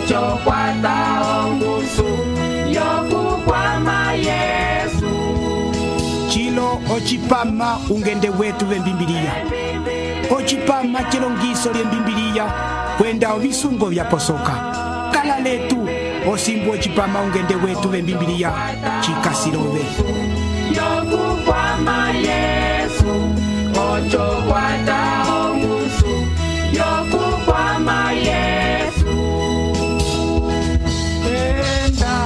ocho kwata ongusu yokukwama Yesu. Chilo ochipama ungende wetu vembimbiliya. Ochipama chilongiso lyembimbiliya kwenda ovisungo vyaposoka. Kala letu osimbu ochipama ungende wetu vembimbiliya chikasilove. Yokukwama Yesu, ocho kwata ongusu yokukwama Yesu. Enda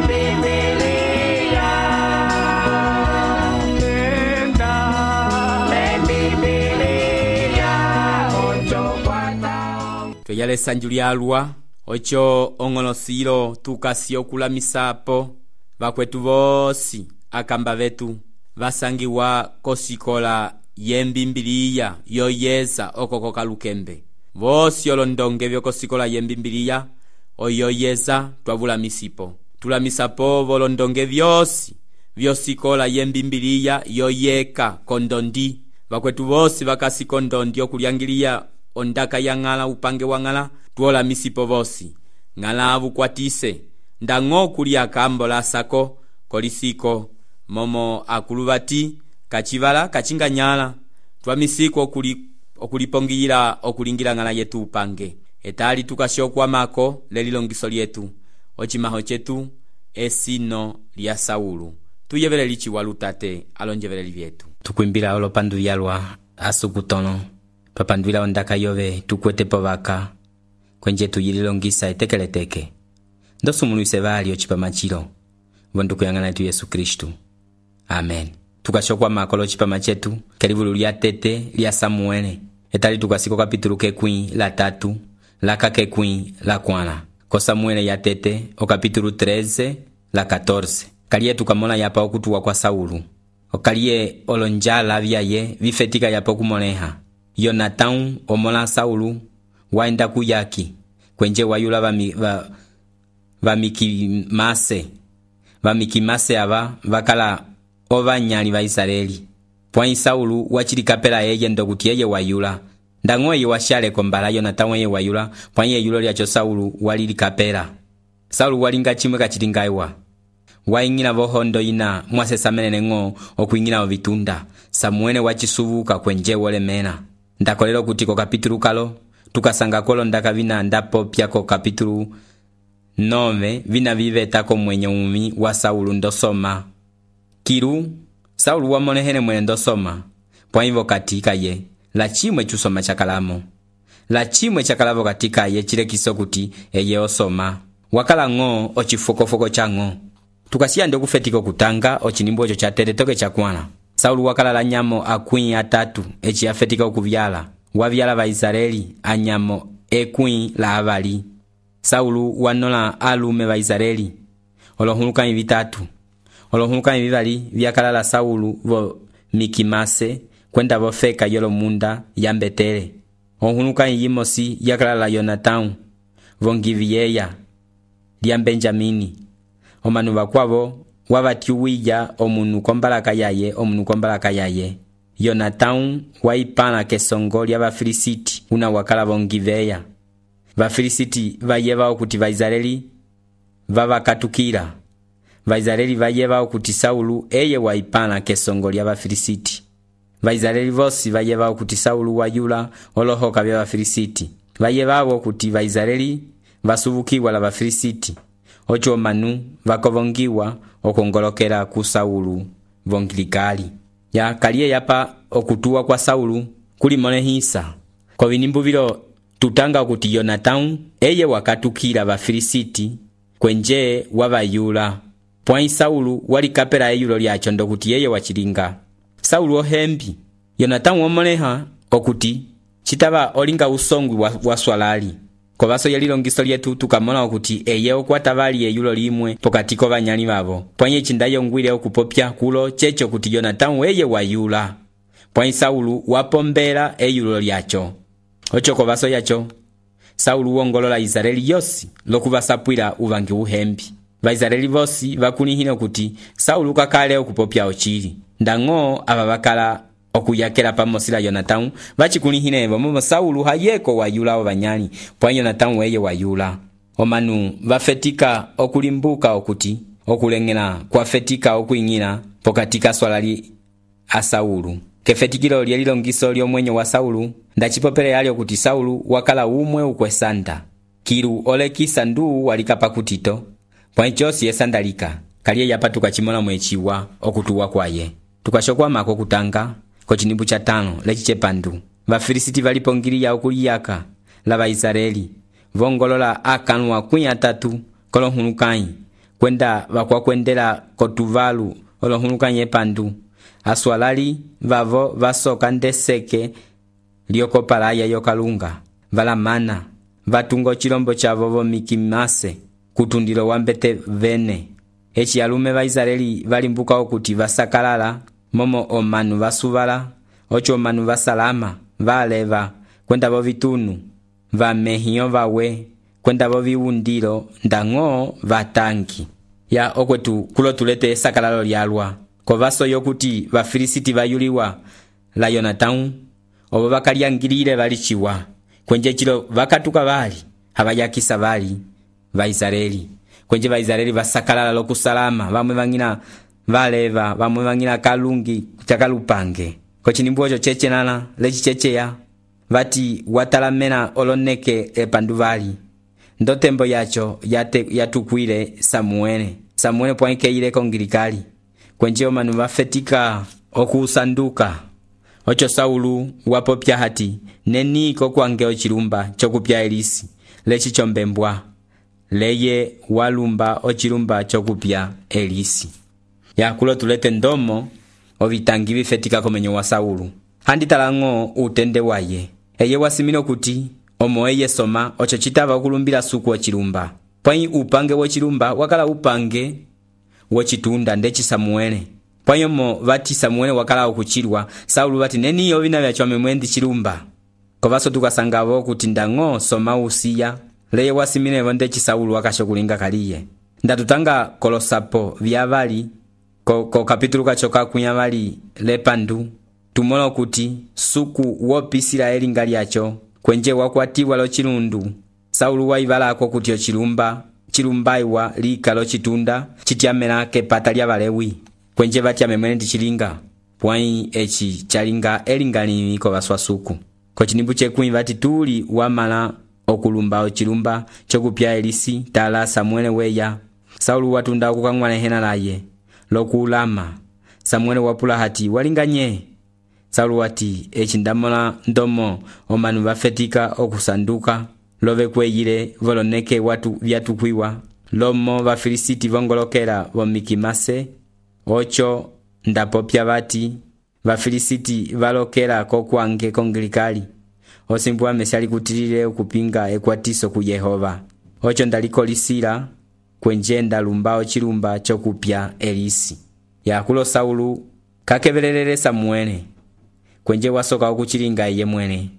Biblia, enda Biblia, ocho kwata. Tuyale sanju lyalwa ocho ong'olosilo tukasi okulamisapo vakwetu vosi akamba vetu vasangiwa kosikola yembimbiliya yoyeza okokoka lukembe. Vosi olondonge vyokosikola yembimbiliya oyoyeza twavulamisipo. Tulamisapo volondonge vyosi vyosikola yembimbiliya yoyeka kondondi. Vakwetu vosi vakasi kondondi okulyangiliya ondaka ya ng'ala upange wa ng'ala tuolamisipo vosi. Ng'ala avukwatise ndango kulia kambo la sako kolisiko momo akuluvati kachivala kachinganyala twamisiko okulipongila okulingira ng'ala yetu upange. Etali tukashokwamako lelilongiso lyetu ochimaho chetu esino lya Saulu. Tuyevele lichi walutate alonjevele vyetu. Tukwimbila olopandu yalwa asukutono papanduila ondaka yove tukwete povaka kwenje tuyililongisa etekeleteke. Ndosumulwise vali ochipama chilo vondu kuyang'ana yetu Yesu Kristu. Amen. Tukashokwa makolo chipama chetu kelivulu lya tete lya Samuele. Etali tukasiko kapitulu kekwi la 3 la kakekwi la 4 ko Samuele ya tete o kapitulu 13 la 14. Kaliye tukamona yapa okutuwa kwa Saulu. Okaliye olonjala vyaye vifetika yapa okumoleha. Yonatan omola Saulu waenda kuyaki kwenje wayula vamikimase ava vakala ovanyali va Israeli. Pwai Saulu wachilikapela eye ndokuti eye wayula. Ndango eye washale kombala Yonatan eye wayula. Pwai yulo lyacho Saulu walilikapela. Saulu walinga chimwe kachilingaiwa. Waingina vohondo ina mwasesamene ngo okuingina ovitunda. Samuele wachisuvuka kwenje wolemena. Ndakolelo kuti ko kapitulu kalo tukasanga kolo ndaka vina ndapo pya ko kapitulu 9 vina viveta ko mwenye umi wa Saulu ndosoma. Kiru Saulu wamonehene mwene ndosoma. Pwaivo katika ye la chimwe chusoma chakalamo. La chimwe chakalavo katika ye chilekiso kuti eye osoma. Wakala ngo ochifokofoko chango. Tukasiya ndo kufetiko kutanga ochinimbo ocho cha teretoke chakwana. Saulu wakala la nyamo akwi atatu echi afetika okuvyala. Wavyala va Israeli anyamo ekwi la avali. Saulu wanola alume va Israeli olohuluka vitatu. Olohuluka vivali vyakala la Saulu vo Mikimase kwenda vo feka yolo munda yambetele. Ohuluka yimosi yakala la Yonatan vo Ngivieya lya Benjamini. Omanu bakwavo wavatiuwija omunu kombalaka yaye. Yonatan waipana kesongo lya Vafilisiti una wakala vo Ngiveya. Vafilisiti vayeva okuti Vaisraeli vavakatukira. Vaisraeli vayeva okuti Saulu eye waipana kesongo lya Vafilisiti. Vaisraeli vosi vayeva okuti Saulu wayula olohoka vya Vafilisiti. Vayeva okuti Vaisraeli vasuvukiwa la Vafilisiti. Ocho manu vakovongiwa okongolokera ku Saulu vongilikali. Ya kaliye yapa okutuwa kwa Saulu kuli monehisa. Kwa vinimbu vilo tutanga okuti Yonatan eye wakatukira Vafilisiti kwenje wavayula. Pwai Saulu walikapela eyulo lyacho ndokuti eye wachilinga. Saulu ohembi. Yonatan womoneha okuti chitaba olinga usongwi wa swalali. Kwa vaso yalilongiso lyetu tukamona okuti eye okwatavali eyulo limwe pokatiko banyali babo. Pwanye chindayo ngwile okupopya kulo checho kuti Yonatan eye wayula. Pwanye Saulu wapombela eyulo lyacho. Ocho kwa vaso yacho Saulu wongolola Israeli yosi lokubasapwila uvangi uhembi. Vaisraeli vosi vakunihina kuti Saulu kakale okupopya ochili. Ndango ababakala okuyakela pamosi la Yonatão vacikulihile momo Saulu hayeko wayula ovanyali pwa Yonatão weye wayula. Omanu vafetika okulimbuka okuti okulengela kwafetika okwiñgila pokati kaswalali a Saulu. Kefetikilo lyeli longiso lyomwenyo wa Saulu ndacipopele yali okuti Saulu wakala umwe ukwesanda kilu olekisa ndu walikapa kutito pwa ichosi esandalika kaliye yapatuka chimola mwechiwa okutuwa kwaye. Tukashokwamako kutanga kocinimbu cha 5 lecicepandu Vafilisiti valipongiliya okuliyaka la Vaisraeli vongolola akanu wa 13 kolohulukanyi kwenda vakwakwendela kotuvalu olohulukanyi epandu aswalali vavo vasoka ndeseke lyokopalaya yokalunga valamana vatunga chilombo chavo vomikimase kutundilo wambete vene. Eci alume Vaisraeli valimbuka okuti vasakalala momo omanu vasuvala ocho omanu vasalama valeva kwenda vovitunu vamehiyo vawe kwenda voviwundilo ndang'o vatangi ya okwetu kulo tulete esakalalo lyalwa kovaso yokuti Vafilisiti vayuliwa la Yonatão ovo vakalyangilile valiciwa kwenje chilo vakatuka vali havayakisa vali Vaisraeli kwenje Vaisraeli vasakalala lokusalama vamwe vangina valeva vamwe vangina kalungi chakalupange kocinimbu ocho chechenala lecichecheya vati watalamena oloneke epandu vali ndotembo yacho yatukwile Samuele pwaikeile kongilikali kwenje omanu vafetika okusanduka ocho Saulu wapopya hati neniko kwange ochilumba chokupya Elisi leci chombembwa leye walumba ochilumba chokupya Elisi. Ya kulo tulete ndomo ovitangi vifetika komenyo wa Saulu handi talang'o utende waye eye wasimino kuti omo eye soma ocho chitava okulumbila suku ochilumba pwayi upange wochilumba wakala upange wochitunda ndeci Samuele pwayi mo vati Samuele wakala okuchilwa Saulu vati neniyo vina vyachwame mwendi chilumba kovaso tukasangavo kuti ndang'o soma usiya leye wasimino ndeci Saulu wakashokulinga kaliye ndatutanga kolosapo vyavali ko kapitulu kachoka kunyavali lepandu tumola kuti suku wopisila elinga lyacho kwenje wakwatiwa lo chilundu Saulu waivalako kuti chilumbaiwa lika lo chitunda chityamela kepata lya Valewi kwenje vatyame mwene ndi chilinga pwayi eci chalinga elingalimi kovaswa suku kocinimbu chekumi vati tuli wamala okulumba ochilumba chokupya Elisi tala Samuele weya Saulu watunda okukang'walehena laye lokulama Samuele wapula hati walinganye Saulu wati eci ndamola ndomo omanu vafetika okusanduka love kweyile voloneke watu vyatukwiwa lomo Vafilisiti vongolokela vomikimase ocho ndapopya vati Vafilisiti valokela kokwange kongilikali osimbu amesiali kutilile okupinga ekwatiso ku Yehova ocho ndalikolisila kwenje ndalumba ochilumba chokupya Elisi. Yakulo Saulu kakevelelele Samuele kwenje wasoka okuchilinga eye mwene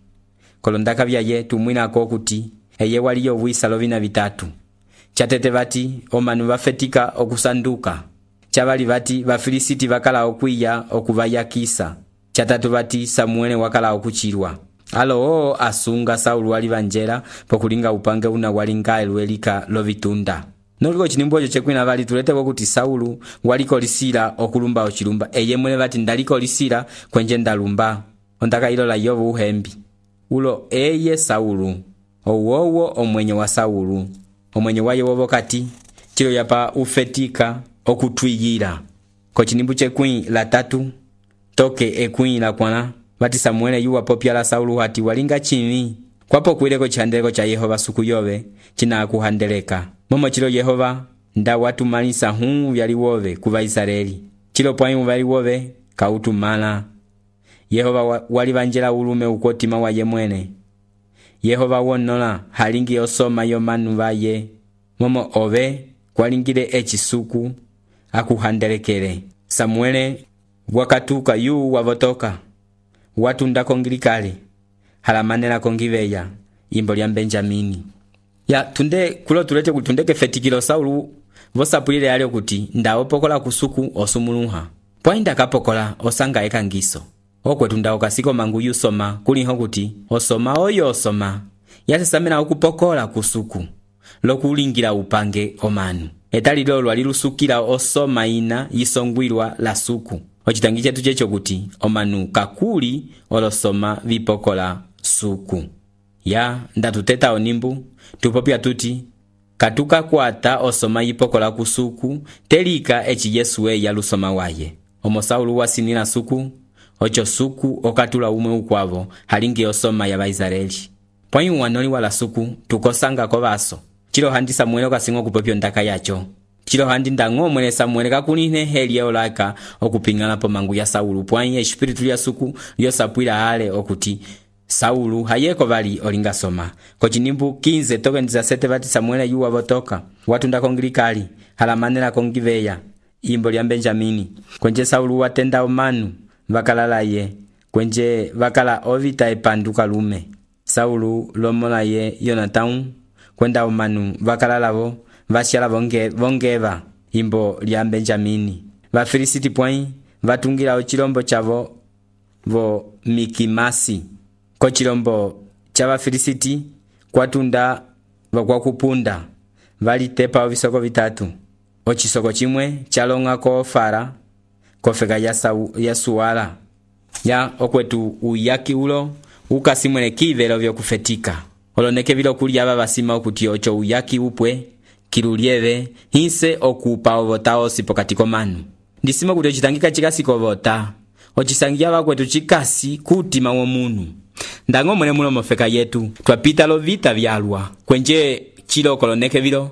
kolondaka vyaye tumwinako kuti eye waliyo wisa lovina vitatu chatete vati omanu vafetika okusanduka chavali vati Vafilisiti vakala okwiya okuvayakisa chatatu vati Samuele wakala okuchilwa alo asunga Saulu wali vanjela pokulinga upange una walinga elwelika lovitunda noliko cinimbu ocho chekwina vali tuleteko kuti Saulu walikolisila okulumba ochilumba eye mwene vati ndalikolisila kwenje ndalumba ondaka ilola yovu uhembi ulo eye Saulu owowo omwenyo wa Saulu omwenyo waye wovo kati chilo yapa ufetika okutwiyila kocinimbu chekwi la 3 toke ekwi la kwana vati Samuele yuwa popya la Saulu hati walinga chimi kwapo kwileko chihandeleko cha Yehova suku yove china kuhandeleka momo chilo Yehova nda watumalisa vyali wove ku Vaisraeli chilo pwayi vyali wove kautumala Yehova wali vanjela ulume ukotima waye mwene Yehova wonola halingi osoma yomanu vaye momo ove kwalingile echisuku akuhandelekele Samuele wakatuka yu wavotoka watunda kongilikale halamanela kongiveya imbo lya Benjamini. Ya tunde kulo tulete kutundeke fetikilo Saulu vosapulile yale kuti ndaopokola kusuku osumuluha pwainda kapokola osanga ekangiso okwetu nda okasiko mangu yusoma kuliho kuti osoma oyo osoma yasesamena okupokola kusuku lokulingila upange omanu etali lolo alilusukila osoma ina yisongwilwa la suku ocitangi chetu checho kuti omanu kakuli olosoma vipokola suku ya ndatuteta onimbu tupopya tuti katuka kwata osoma yipokola kusuku telika eci Yesu eya lusoma waye omo Saulu wasinila suku ocho suku okatula umwe ukwavo halingi osoma ya Baisraeli pwai wanoli wala suku tukosanga kovaso chilo handi Samuel okasinga okupopyo ndaka yacho chilo handi ndango mwene Samuel kakuline heli olaka okupingala po mangu ya Saulu pwai espiritu ya suku yosapwila ale okuti Saulu hayeko vali olinga soma kochinimbu 15 toke ndizasete vati Samuel yuwa votoka watu ndakongilikali halamanela kongiveya imbo lya Benjamini kwenje Saulu watenda omanu vakalala ye kwenje vakala ovita epanduka lume Saulu lomola ye Yonatanu kwenda omanu vakalalavo vashala vongeva imbo lya Benjamini Vafilisiti pwai vatungira ochilombo chavo vo Mikimasi kochilombo cha Vafilisiti kwatunda vakwakupunda valitepa ovisoko vitatu ochisoko chimwe chalonga ko Ofara kofeka ya Suala ya okwetu uyaki ulo ukasimwele kivelo vyokufetika oloneke vilo kuli aba basima okuti ocho uyaki upwe kilulieve hinse okupa ovota osipo katiko manu ndisima kuti ochitangika chikasi kovota ochisangia bakwetu chikasi kutima womunu ndango mwene mulo mofeka yetu twapita lovita vyalwa kwenje chilo koloneke vilo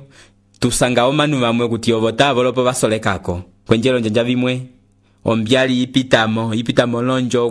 tusanga omanu bamwe kuti ovota volopo basolekako kwenje lonjanja vimwe ombyali ipitamo lonjo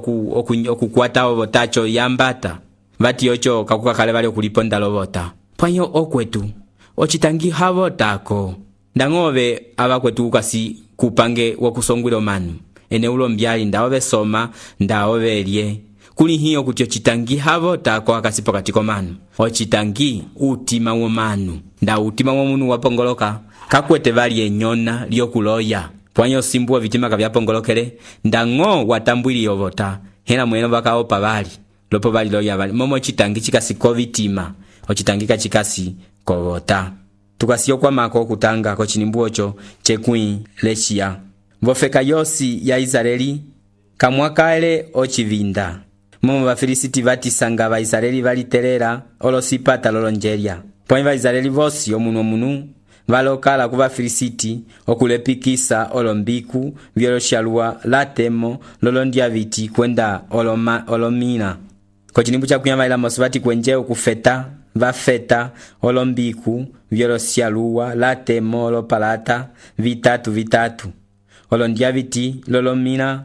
okukwata ovotacho yambata vati ocho kakukakale bali okuliponda lovota pwanyo okwetu ochitangi havotako ndangove abakwetu ukasi kupange wakusongwila omanu ene ulo mbyali ndaove soma ndaove elye kuli hiyo kuti ochitangi havotako akasipo katiko manu ochitangi utima womanu nda utima womunu wapongoloka kakwete vali enyona lyokuloya pwanyo simbuwa vitima kavyapongolokele ndango watambwili ovota hena mweno bakaopa bali lopo bali loya bali momo chitangi chikasi kovitima ochitangika chikasi kovota tukasiyo kwa mako kutanga kochinimbu ocho chekui leshia vofeka yosi ya Israeli kamwakaele ochivinda momo Vafilisiti vatisanga Vaisraeli valitelera olosipata lolonjeria pwanyi Vaisraeli vosi omunu valokala ku Vafilisiti okulepikisa olombiku vyoloshalua latemo lolondia viti kwenda olomina kochinimbu cha kuyama ila mosivati kwenje okufeta vafeta olombiku vyoloshalua latemo olopalata vitatu olondia viti lolomina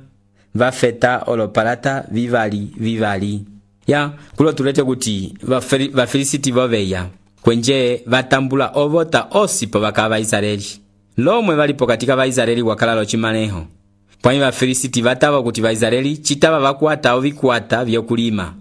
vafeta olopalata vivali ya kulo tulete kuti Vafilisiti voveya kwenje vatambula ovota osipo baka Vaisraeli lomwe valipo katika Vaisraeli wakalalo chimaneho pwanyi Vafilisiti vatava kuti Vaisraeli chitava vakwata ovikwata vyokulima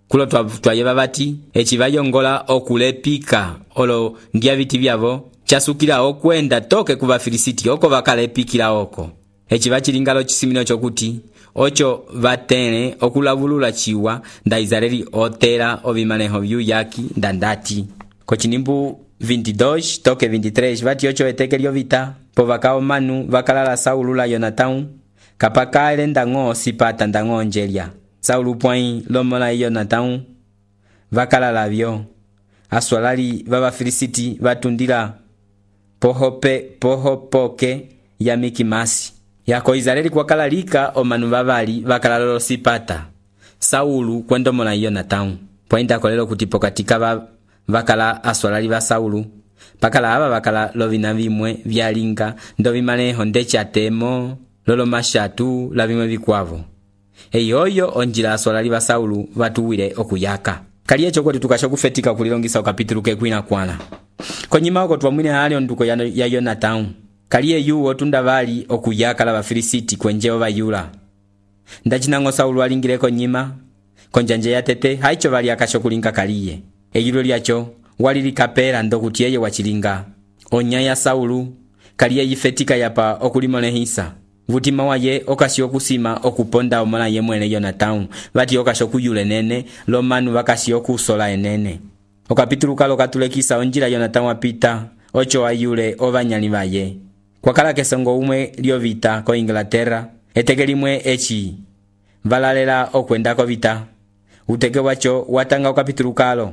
kulo twayeva vati echi vayongola okulepika olo ndia viti vyavo chasukila okwenda toke ku Vafilisiti oko vakalepikila oko echi vachilingalo chisimino chokuti ocho vatene okulavulula chiwa nda Israeli otera ovimaneho vyuyaki ndandati kochinimbu 22 toke 23 vati ocho eteke lyovita po vakao manu vakalala Saulu la Yonatanu kapakale ndango sipata ndango onjelia Saulu pwai lomola Yonatanu vakalala vyo aswalali Vafilisiti vatundila pohopoke ya Mikimasi yako Israeli kwakalalika omanu vavali vakalalo sipata Saulu kwendomola Yonatanu pwainda kolelo kuti pokatika vakala aswalali va Saulu pakala aba vakala lovina vimwe vyalinga ndovimaneho ndechatemo lolo mashatu la vimwe vikwavo eyoyo onjila aswalali va Saulu vatuwile okuyaka kaliye chokoti tukasho kufetika kulilongisa okapitulu kekwina kwana konyima oko twamwine hali onduko ya Yonatanu kaliye yuwo tunda vali okuyaka la Vafilisiti kwenjeo vayula ndachinango Saulu alingileko nyima konjanje ya tete haicho vali akasho kulinga kaliye eyilo lyacho walilikapela ndokuti yeye wachilinga onya ya Saulu kaliye yifetika yapa okulimonehisa vutima waye okasi okusima okuponda omona ye mwene Yonatão vati okasi okuyula enene lomanu vakasi okusola enene. Okapitulu kalo katulekisa onjila Yonatão apita ocho ayule ovanyali vaye. Kwakala kesongo umwe lyovita ko Inglaterra eteke limwe echi valalela okwenda kovita. Uteke wacho watanga okapitulu kalo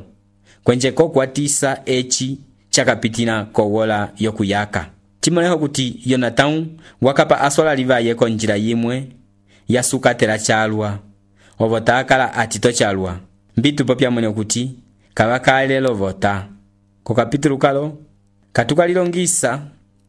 kwenje kokwatisa echi chakapitina kowola yokuyaka. Chimoleho kuti Yonatão wakapa asola livaye konjila yimwe yasukatela chalwa ovota akala atito chalwa mbitu popya mwene kuti kavakalelo vota. Ko kapitulu kalo katukalilongisa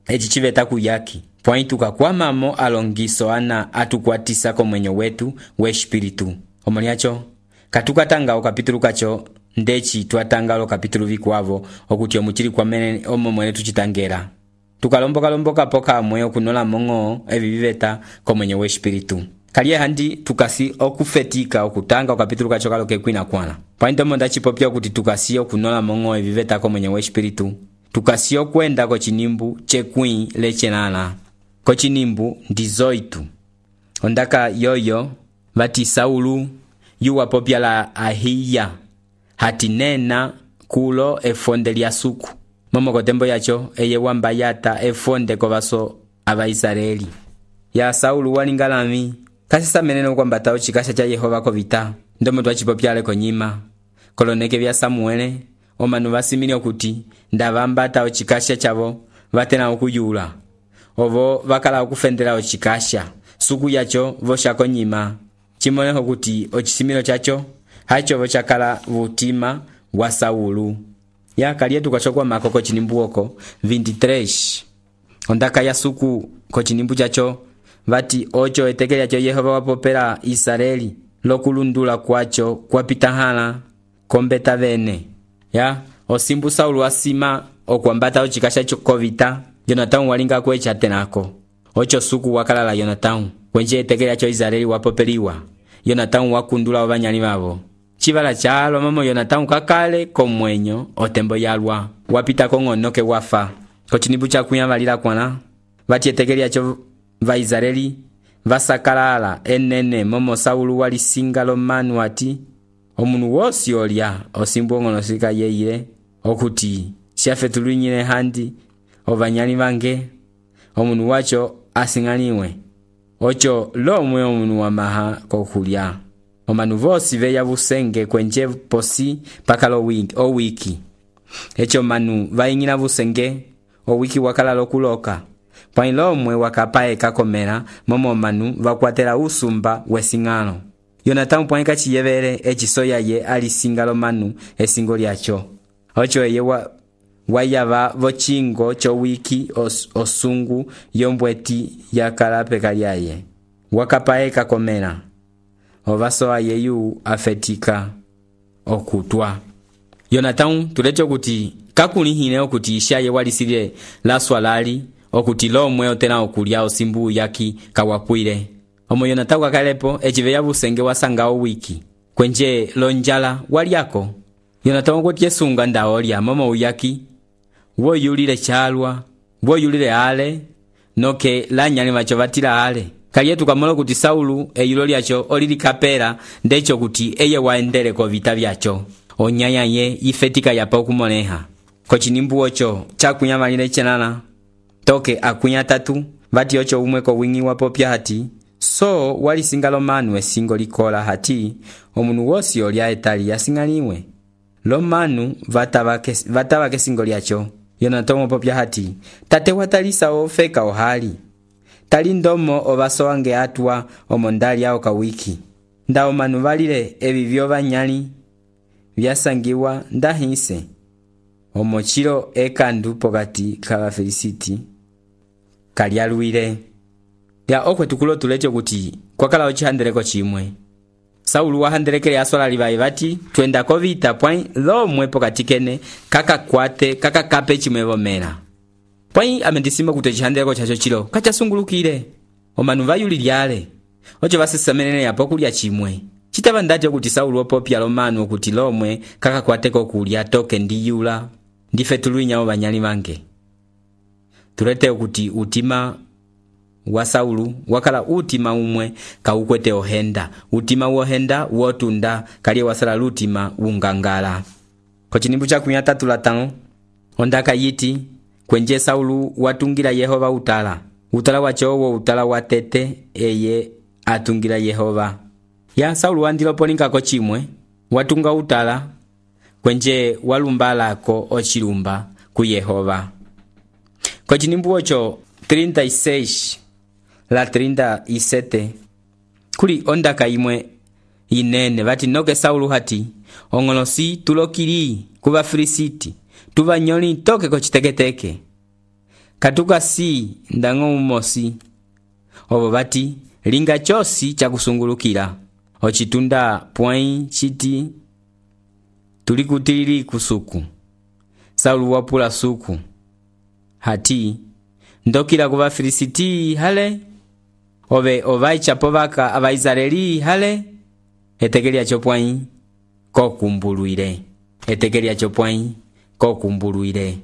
echi chiveta kuyaki pwai tukakwamamo alongiso ana atukwatisa komwenyo wetu we espiritu. Omoliacho katukatanga okapitulu kacho ndechi twatanga lo kapitulu vikwavo okuti omuchili kwamene omomwene tuchitangera. Tukalomboka poka mwe okunola mongo eviveta komwenyo we espiritu. Kaliye handi tukasi okufetika okutanga okapitulu kacho kalo kekwina kwana. Pwai monda chipopya okuti tukasi okunola mongo eviveta komwenyo we espiritu. Tukasi okwenda ko chinimbu chekwin lechenana. Ko chinimbu ndizoitu. Ondaka yoyo vati Saulu yuwa popya la ahiya hatinena kulo efonde lya suku. Momo kotembo yacho eye wambayata efonde kovaso ava Israeli. Ya Saulu walingalami kasisa meneno kwambata ochikasha cha Yehova kovita. Ndomo twachipopyale konyima koloneke vya Samuele omanu vasimini okuti ndavambata ochikasha chavo vatena okuyula ovo vakala okufendela ochikasha suku yacho voshako nyima. Chimoleho kuti ochisimilo chacho hacho vochakala vutima wa Saulu. Ya kaliye tukachokwa makoko chinimbu oko 23 ondaka ya suku ko chinimbu chacho vati ocho eteke yacho Yehova wapopela Israeli lokulundula kwacho kwapitahala kombeta vene. Ya osimbu Saulu asima okwambata ochikasha chokovita Yonatão walinga kwecha tenako ocho suku wakalala Yonatão kwenje eteke yacho Israeli wapopeliwa. Yonatão wakundula ovanyali vavo. Chivala chalo mamo Yonatão kakale komwenyo otembo yalwa wapita kongonoke wafa. Ko chinimbu chakuya valila kwana vati eteke yacho va Israeli vasakalala enene momo Saulu walisinga lomanu ati omunu wosi olya osimbu ongonosika yeile okuti shafetulunyile handi ovanyali vange omunu wacho asing'aniwe ocho lomwe omunu wamaha kokulya. Omanu vosi veya busenge kwenje posi pakalo wiki echo manu vaingila busenge owiki wakala lokuloka pwai lomwe wakapae kakomera momo manu vakwatela usumba wesing'ano. Yonatão pwai kachiyevele echisoya ye alisinga lomanu esingo lyacho ocho eye wayava vochingo cho wiki osungu yombweti yakala peka lyaye wakapae kakomera ovaso ayeyu afetika okutwa. Yonatão tulecho kuti kakulihine okuti ishaye walisile la swalali okuti lomwe otena okulya osimbu yaki kawapwile. Omo Yonatão kakalepo echiveya busenge wasangao wiki kwenje lonjala waliako. Yonatão okuti yesunga ndaolya momo uyaki woyulile chalwa woyulile ale noke lanyali macho vatila ale. Kaliye tukamola kuti Saulu eyulo lyacho olili kapera ndecho kuti eye waendele ko vita vyacho onyaya ye ifetika yapa okumoneha. Ko chinimbu ocho chakunya malile chenana toke akunya tatu vati ocho umwe ko wingi wapopya hati so walisinga lomanu esingo likola hati omunu wosi olya etali yasing'aniwe lomanu vatava kesingo lyacho. Yonatão wapopya hati tate watalisa ofeka ohali tali ndomo ovaso wange atwa omondali ao kawiki nda omanu valile evivyo vanyali vyasangiwa ndahise omochilo ekandu pokati kava Felisiti kalyaluile. Ya okwe tukulo tulecho kuti kwakala ochihandeleko chimwe Saulu wahandelekele asola livaye vati twenda kovita pwai lomwe pokati kene kakakape chimwe vomera pwai amendisima kuti chihandeleko chacho chilo kachasungulukile omanu vayulilyale ocho vasesamenene yapo kulya chimwe chitava ndacho kuti Saulu opopya lomanu kuti lomwe kakakwateko kulya toke ndiyula ndife tuluinya ovanyali vange tulete kuti utima wa Saulu wakala utima umwe kaukwete ohenda. Utima wohenda wotunda kaliye wasala lutima ungangala. Kochinimbu cha 35 ondaka yiti kwenje Saulu watungila Yehova utala. Utala wacho wo utala watete eye atungila Yehova. Ya Saulu wandilopolinga ko chimwe watunga utala kwenje walumbalako ochilumba ku Yehova. Kochinimbu ocho 36 la 37 kuli ondaka imwe inene vati noke Saulu hati ongolosi tulokili kuva Filisiti tuvanyoli toke kochiteketeke katuka si ndango umosi ovo vati linga chosi chakusungulukila ochitunda pwai chiti tulikutilili kusuku. Saulu wapula suku hati ndokila kuva Filisiti hale ove ovai chapovaka ava Israeli hale etekelia chopwai kokumbuluire. Etekelia chopwai kokumbuluire.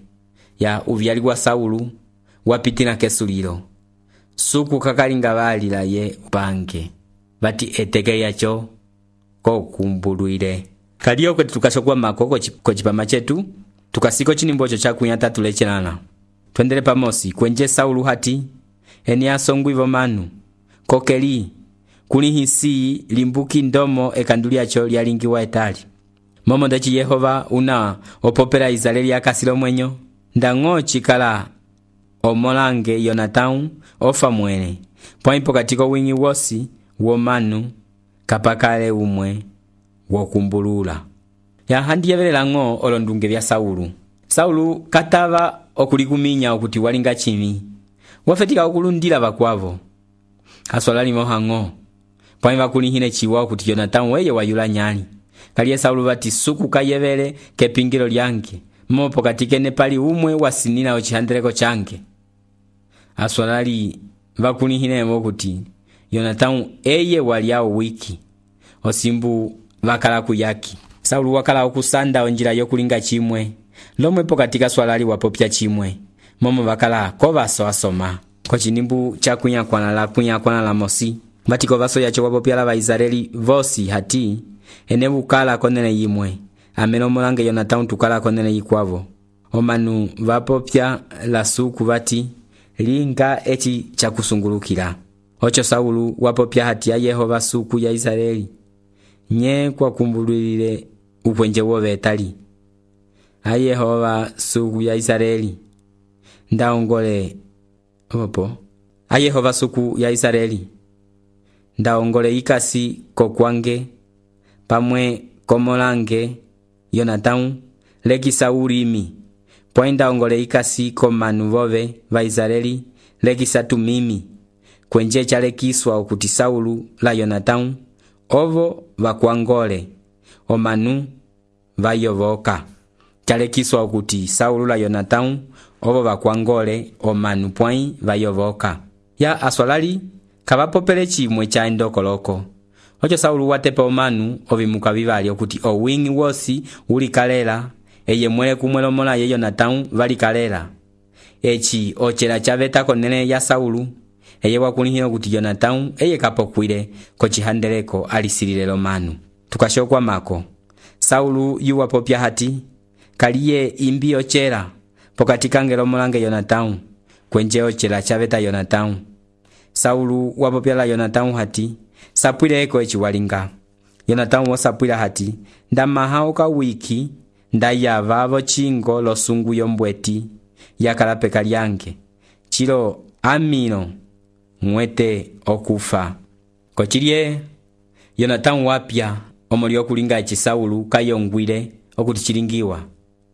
Ya uvyali wa Saulu wapitina kesulilo suku kakalinga valila ye upange vati etekelia cho kokumbuluire. Kaliyo kwetu tukasokwa mako kochipama chetu tukasiko chinimbo cho cha 33 twendele pamosi kwenje Saulu hati eni asongu ivo manu kokeli kuli hisi limbuki ndomo ekandulia cho lyalingiwa etali momo ndachi Yehova una opopera Israeli akasilo mwenyo ndango chikala omolange Yonatau ofa mwene pwaipo katiko wingi wosi womanu kapakale umwe wokumbulula. Ya handi yevelela ngo olondunge vya Saulu. Saulu katava okulikuminya okuti walinga chimi wafetika okulundila vakwavo aswalali mohango pwaiva kulihine chiwa okuti Yonatau weye wayula nyali kaliye Saulu vati suku kayevele kepingilo lyange mopo katikene pali umwe wasinina ochihandeleko change aswalali vakulihine okuti Yonatau eye waliao wiki osimbu vakala kuyaki. Saulu wakala okusanda onjila yokulinga chimwe lomwepo katika swalali wapopya chimwe momo vakala kovaso asoma kochinimbu cha kunyakwana la mosi batiko vaso yacho wapopya la Israeli vosi hati ene bukala konene yimwe ameno molange Yonatau tukala konene yikwavo omanu vapopya la suku vati linga echi chakusungulukila ocho Saulu wapopya hati ya Yehova suku ya Israeli nye kwa kumbululile upwenje wove etali a Yehova suku ya Israeli ndaongole opo a Yehova suku ya Israeli ndaongole ikasi kokwange pamwe komolange Yonatau leki Saulimi poinda ongole ikasi komanu vove va Israeli leki satumimi kwenje chalekiswa okuti Saulu la Yonatau ovo vakwangole omanu vayovoka chalekiswa okuti Saulu la Yonatau ovo vakwangole omanu pwai vayovoka. Ya aswalali kavapopele chimwe cha endokoloko ocho Saulu watepa omanu ovimuka vivali okuti owingi wosi ulikalela eye mwele kumwelomola ye Yonatau valikalela echi ochela chaveta konene ya Saulu eye wakulihina okuti Yonatau eye kapokwile kochihandeleko alisilile manu. Tukashokwa mako Saulu yuwapopya hati kaliye imbi ochela pokatika ngelo molange Yonatau kwenje ochela chaveta Yonatau. Saulu wapopya la Yonatau hati sapwile eko echi walinga. Yonatau wasapwila hati ndamahauka wiki ndayavavo chingo losungu yombweti yakalapeka lyange chilo amino mwete okufa kochilie Yonatau wapya omulio kulinga echi Saulu kayongwile okuti chilingiwa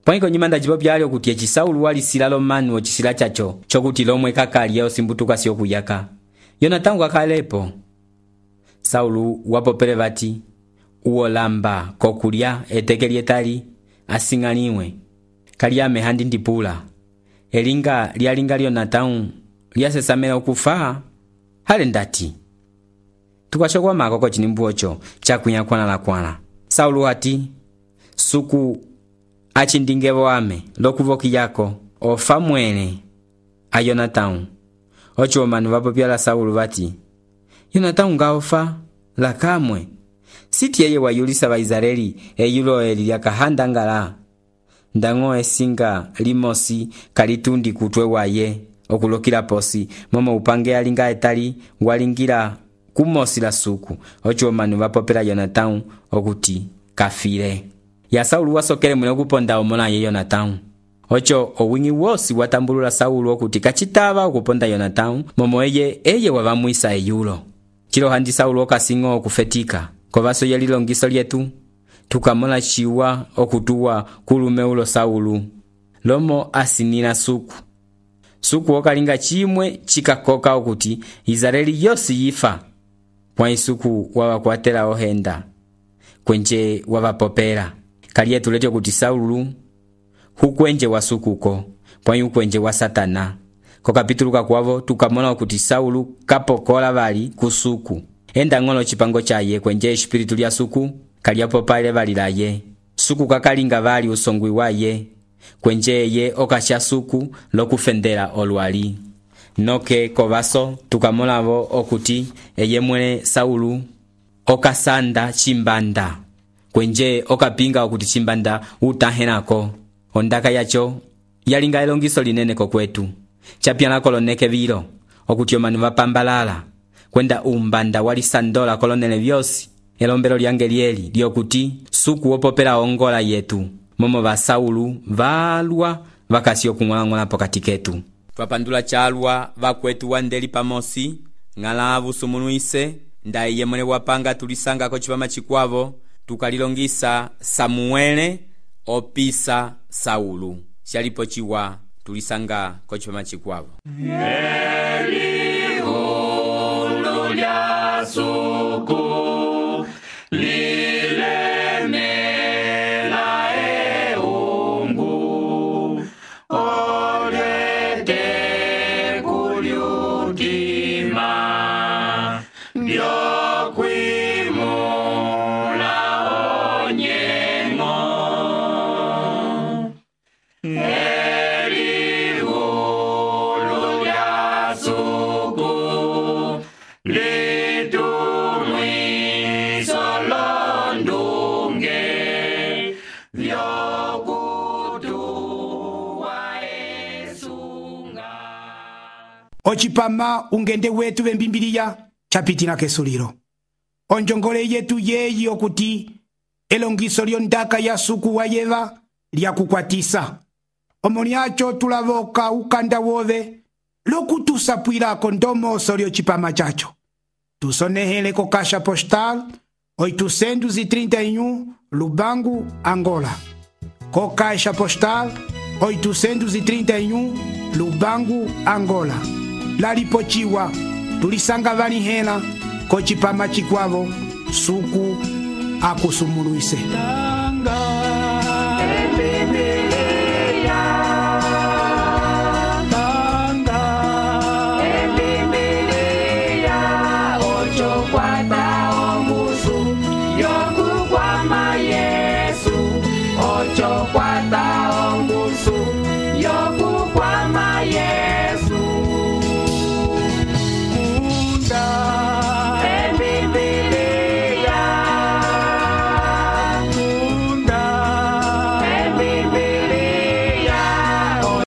pwaniko nyimanda jibo byali okuti echi Saulu wali silalo manu ochisila chacho chokuti lomwe kakali osimbutuka sio kuyaka. Yonatau akalepo Saulu wapopele vati uolamba kokulya etekeli etali asingaliwe kaliyame handi ndipula elinga lyalinga Yonatau lyasesamela okufa hale ndati. Tukashokwa mako kochinimbu ocho chakunyakwana Saulu hati suku achindingevo ame lokuvoki yako ofa mwene a Yonatau ocho omanu vapopyala Saulu vati, Yonatanu ngaofa lakamwe, siti eye wayulisa Vaisraeli eyulo eli lyakahanda ngala. Ndang'o esinga limosi kalitundi kutwe waye okulokila posi momo upange alinga etali walingila kumosi la suku. Ocho omanu vapopela Yonatanu okuti kafile. Ya Saulu wasokele mwene okuponda omona ye Yonatanu. Ocho owingi wosi watambulula Saulu okuti kachitava okuponda Yonatanu momo eye wavamwisa eyulo. Chilo handi Saulu okasingo okufetika. Kovaso yeli longiso lyetu tukamona chiwa okutuwa kulume ulo Saulu. Lomo asinina suku okalinga chimwe chikakoka okuti Israeli yosi yifa. Kwa isuku wawakwatela ohenda kwenje wavapopera. Kalietu letyo kuti Saulu hukwenje wa sukuko pwa hukwenje wa Satana. Ko kapituluka kwavo tukamona okuti Saulu kapokola vali kusuku. Enda ng'olo chipango chaye kwenje espiritu lya suku kaliapopale vali laye. Suku kakalinga vali usongwi waye kwenje ye okasha suku lokufendela olwali. Noke kovaso tukamona vo okuti eye mwene Saulu okasanda chimbanda kwenje okapinga okuti chimbanda utahenako. Ondaka yacho yalinga elongiso linene kokwetu. Chapyana koloneke vilo okuti omanu vapambalala kwenda umbanda wali sandola kolonele vyosi. Elombelo lyange lyeli lyokuti suku wopopela ongola yetu momo va Saulu valwa vakasi okung'olang'ola pokati ketu. Twapandula chalwa vakwetu wandeli pamosi ng'ala vusumunuise nda iye mwene wapanga tulisanga ko chipama chikwavo tukalilongisa Samuele opisa Saulu. Shalipo chiwa tulisanga ko chipama chikwavo. Ochipama ungende wetu vembimbiliya chapitina kesuliro. Onjongole yetu yeyi okuti elongiso lyondaka ya suku wa Yeva lyakukwatisa. Omoni acho tulavoka ukanda wove lokutusapwilako ndomoso lyochipama chacho. Tusonehele ko Caixa Postal 831 Lubangu, Angola. Ko Caixa Postal 831 Lubangu, Angola. Lalipochiwa tulisanga vani hela ko chipama chikwavo suku akusumuluise.